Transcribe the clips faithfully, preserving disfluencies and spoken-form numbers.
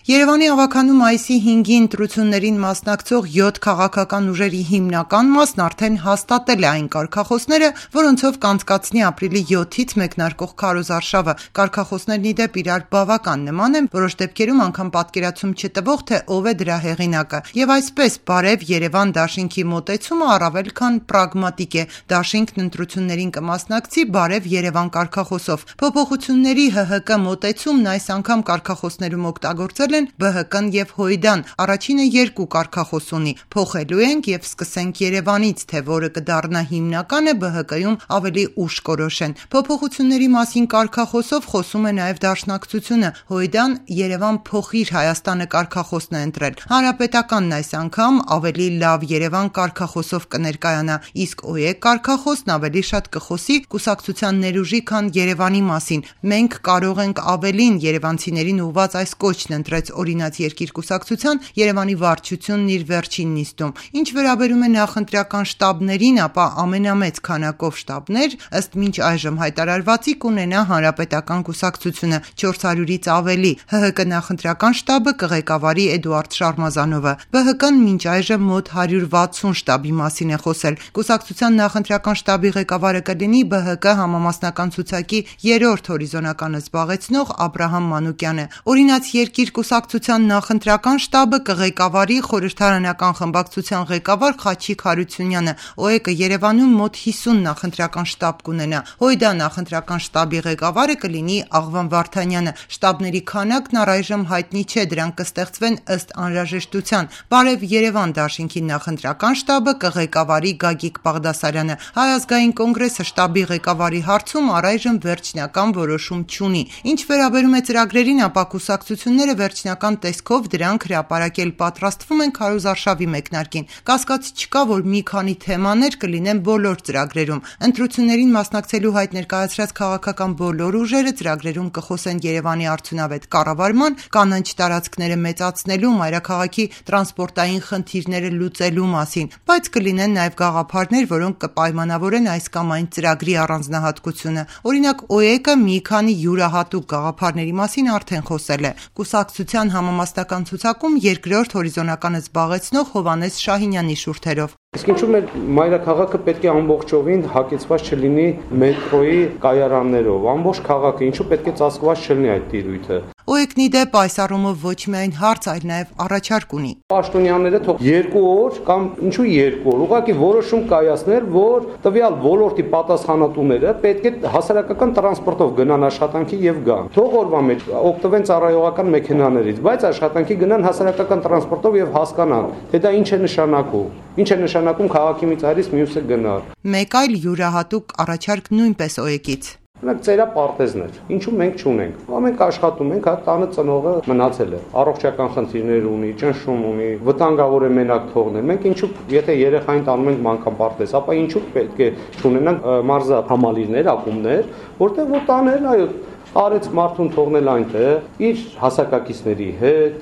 Երևանի ավականու մայիսի հինգի ընտրություններին մասնակցող յոթ քաղաքական ուժերի հիմնական մասն արդեն հաստատել է այն կարգախոսները, որոնցով կանցկացնի ապրիլի յոթից մեկնարկող քարոզարշավը։ Կարգախոսներն ի դեպ իրար բավական նման են, որոշ դեպքերում անգամ պատկերացում չտվող, թե ով է դրա հեղինակը։ Եվ այսպես Բարև Երևան դաշինքի մոտեցումը առավել քան պրագմատիկ է։ Դաշինքն ընտրություններին կմասնակցի Բարև Երևան կարգախոսով։ Փոփոխությունների ՀՀԿ մոտեցումն այս անգամ կարգախոսներում օգտագործել ԲՀԿ-ն եւ Հույդան, առաջինը երկու կարգախոս ունի, փոխելու ենք եւ սկսենք Երևանից, թե որը կդառնա հիմնականը ԲՀԿ-ում ավելի ուշ կորոշեն։ Փոփոխությունների մասին կարգախոսով խոսում է նաեւ Դաշնակցությունը, Հույդան Երևան փոխիր Հայաստանը կարգախոսն է ընտրել։ Հանրապետականն այս անգամ ավելի լավ Երևան կարգախոսով կներկայանա, իսկ ՕԵԿ կարգախոսն ավելի շատ կխոսի կուսակցության ներուժի, քան Երևանի մասին։ Մենք կարող ենք ավելին երևանցիներին ուղված այս կոչն ընտրեց օրինաց երկիր կուսակցության Երևանի վարչությունն իր վերջին նիստում։ Ինչ վերաբերում է նախընտրական շտաբներին, ապա ամենամեծ քանակով շտաբներ ըստ մինչ այժմ հայտարարվածի կունենա Հանրապետական կուսակցությունը չորս հարյուրից ավելի։ ՀՀԿ նախընտրական շտաբը կղեկավարի Էդուարդ Շարմազանովը։ ԲՀԿ-ն մինչ այժմ մոտ հարյուր վաթսուն շտաբի մասին է խոսել։ Կուսակցության նախընտրական շտաբի ղեկավարը կլինի ԲՀԿ համամասնական ցուցակի երրորդ հորիզոնականը զբաղեցնող Աբրահամ Մանուկյանը։ Օրինաց երկիր կուսակցության նախընտրական շտաբը կղեկավարի խորհրդարանական խմբակցության ղեկավար Խաչիկ Հարությունյանը։ ՕԵԿ-ը Երևանում մոտ հիսուն նախընտրական շտաբ կունենա։ Հույդա նախընտրական շտաբի ղեկավարը կլինի Աղվան Վարդանյանը։ Շտաբների քանակն առայժմ հայտնի չէ, դրանք կստեղծվեն ըստ անհրաժեշտության։ Բարև Երևան դաշինքի նախընտրական շտաբը կղեկավարի Գագիկ Բաղդասարյանը։ Հայ ազգային կոնգրեսը շտաբի ղեկավարի հարցում առայժմ վերջնական որոշում չունի։ Ինչ վերաբերում է ծրագրերին, ապա կուսակցությունները վերջնական տեսքով դրանք հրապարակել պատրաստվում են քարոզարշավի մեկնարկին։ Կասկած չկա, որ մի քանի թեմաներ կլինեն բոլոր ծրագրերում։ Ընտրություններին մասնակցելու հայտ ներկայացրած քաղաքական բոլոր ուժերը ծրագրերում կխոսեն Երևանի արդյունավետ կառավարման, կանաչ տարածքները մեծացնելու, մայրաքաղաքի տրանսպորտային խնդիրները լուծելու մասին, բայց կլինեն նաև գաղափարներ, որոնք կպայմանավորեն այս կամ այն ծրագրի առանձնահատկությունը։ Օրինակ ՕԵԿ-ը մի քանի յուրահատուկ գաղափարների մասին արդեն խոսել է։ Կուսակցության համամասնական ցուցակում երկրորդ հորիզոնականը զբաղեցնող Հովհաննես Շահինյանի շուրթերով։ Իսկ ինչու՞ մեր մայրաքաղաքը պետք է ամբողջովին հագեցված չլինի մետրոյի կայարաններով, ամբողջ քաղաքը ինչու պետք է ծածկված չլինի այդ տիրույթը։ ՕԵԿ-ն ի դեպ այս առումով ոչ միայն հարց, այլ նաև առաջարկ ունի։ Պաշտոնյաները թող երկու օր կամ ինչու երկու օր ուղղակի որոշում կայացնել, որ տվյալ ոլորտի պատասխանատուները պետք է հասարակական տրանսպորտով գնան աշխատանքի եւ գան։ Թող օրվա մեջ օգտվեն ծառայողական մեքենաներից, բայց աշխատանքի գնան հասարակական տրանսպորտով եւ հասկանան, թե դա ինչ է նշանակում։ Ինչ է նշանակում քաղաքի մի ծայրից մյուսը գնալ։ Մեկ այլ յուրահատուկ առաջարկ նույնպես ՕԵԿ-ից։ Մենք ծերապարտեզներ, ինչու մենք չունենք։ Մենք աշխատում ենք, հա տանը ծնողը մնացել է, առողջական խնդիրներ ունի, ճնշում ունի, վտանգավոր է մենակ թողնել։ Մենք ինչու, եթե երեխային տանում ենք մանկապարտեզ, ապա ինչու պետք է չունենանք մարզա համալիրներ, ակումբներ, որտեղ որ տանել, այո, արեց մարդուն թողնել այնտեղ իր հասակակիցների հետ,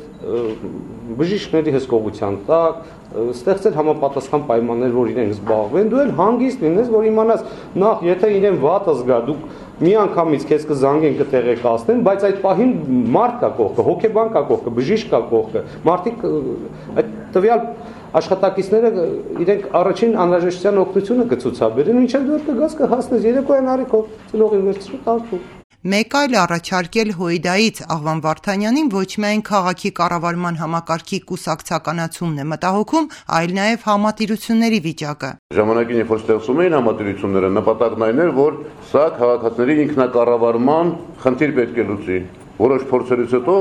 բժիշկների հսկողության տակ, ստեղծել համապատասխան պայմաններ, որ իրենք զբաղվեն, դու էլ հանգիստ լինես, որ իմանաս նախ, եթե իրեն վատը զգա, դուք մի անգամից քեզ կզանգեն, կտեղեկացնեն, բայց այդ պահին մարդ կա կողքը, հոգեբան կա կողքը, բժիշկ կա կողքը, մարդիկ այդ տվյալ աշխատակիցները իրենք առաջին անհրաժեշտության օգնությունը կցուցաբերեն, ինչեւ դու կգաս կհասնես երեկոյան արիքով, ծնողին վերցրու տալու։ Մեկ այլ առաջարկել Հույդայից Աղվան Վարդանյանին ոչ միայն քաղաքի կառավարման համակարգի կուսակցականացումն է մտահոգում, այլ նաև համատիրությունների վիճակը։ Ժամանակին երբ որ ստեղծում էին համատիրությունները, նպատակն այն էր, որ սա քաղաքացիների ինքնակառավարման խնդիր պետք է լուծի։ Որոշ փորձերից հետո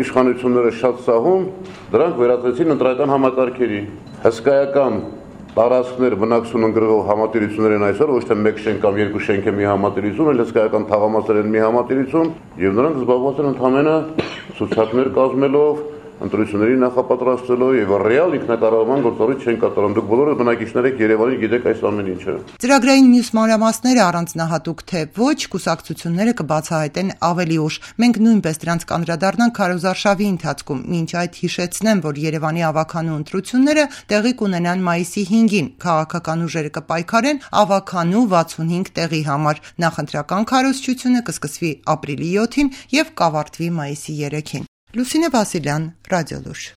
իշխանությունները շատ սահուն դրանք վերածեցին ընտրական համակարգերի։ Հսկայական տարածքներ բնակություն ընկրող համատիրություններ են այսօր, ոչ թե մեկ շենք կամ երկու շենք է մի համատիրություն, այլ հսկայական թաղամասեր են մի համատիրություն, եւ նրանք զբաղված են ընդհանրապես ցուցակներ կազմելով, ընտրությունների նախապատրաստելով եւ ռեալ ինքնակառավարման գործառույթ չեն կատարում։ Դուք բոլորը բնակիչներ եք Երևանի, գիտեք այս ամեն ինչը։ Ծրագրային մյուս մանրամասները առանձնահատուկ թե ոչ, կուսակցությունները կբացահայտեն ավելի ուշ։ Մենք նույնպես դրանց կանդրադառնանք քարոզարշավի ընթացքում, մինչ այդ հիշեցնեմ, որ Երևանի ավականու ընտրությունները տեղի կունենան մայիսի հինգին։ Քաղաքական ուժերը կպայքարեն ավականու վաթսունհինգ տեղի համար։ Նախընտրական քարոզչությունը կսկսվի ապրիլի յոթին եւ կավարտվի մայիսի երեքին։ Լուսինե Վասիլյան, Ռադիոլուրջ։